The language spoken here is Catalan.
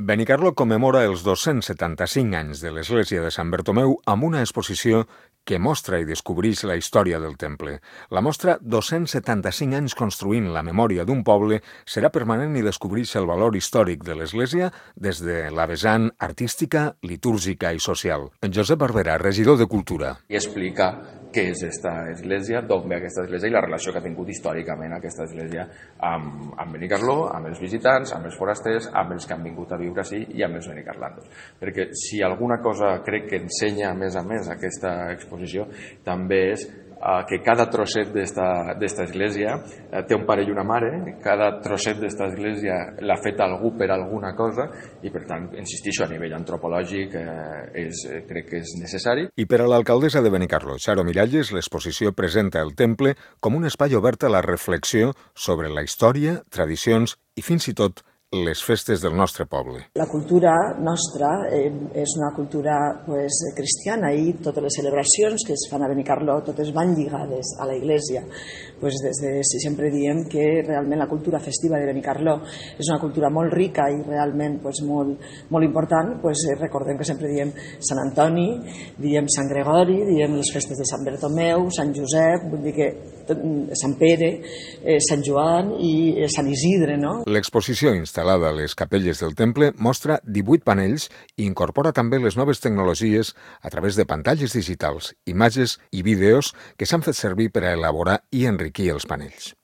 Benicarló commemora els 275 anys de l'església de Sant Bartomeu amb una exposició que mostra i descobreix la història del temple. La mostra 275 anys construint la memòria d'un poble serà permanent i descobreix el valor històric de l'església des de la vessant artística, litúrgica i social. En Josep Barberà, regidor de Cultura. I explica què és aquesta església, d'on ve aquesta església i la relació que ha tingut històricament aquesta església amb Benicarló, amb els visitants, amb els forasters, amb els que han vingut a viure així i amb els benicarlandos. Perquè si alguna cosa crec que ensenya a més aquesta exposició també és que cada trosset d'esta església té un pare i una mare, cada trosset d'esta església l'ha fet algú per alguna cosa i per tant, insistixo, a nivell antropològic crec que és necessari. I per a l'alcaldessa de Benicarló, Charo Miralles, l'exposició presenta el temple com un espai obert a la reflexió sobre la història, tradicions i fins i tot les festes del nostre poble. La cultura nostra és una cultura cristiana i totes les celebracions que es fan a Benicarló totes van lligades a la Iglesia. Sempre diem que realment la cultura festiva de Benicarló és una cultura molt rica i realment molt important. Recordem que sempre diem Sant Antoni, diem Sant Gregori, diem les festes de Sant Bartomeu, Sant Josep, vull dir que Sant Pere, Sant Joan i Sant Isidre, no? L'exposició instal·lada a les capelles del temple mostra 18 panells i incorpora també les noves tecnologies a través de pantalles digitals, imatges i vídeos que s'han fet servir per a elaborar i enriquir els panells.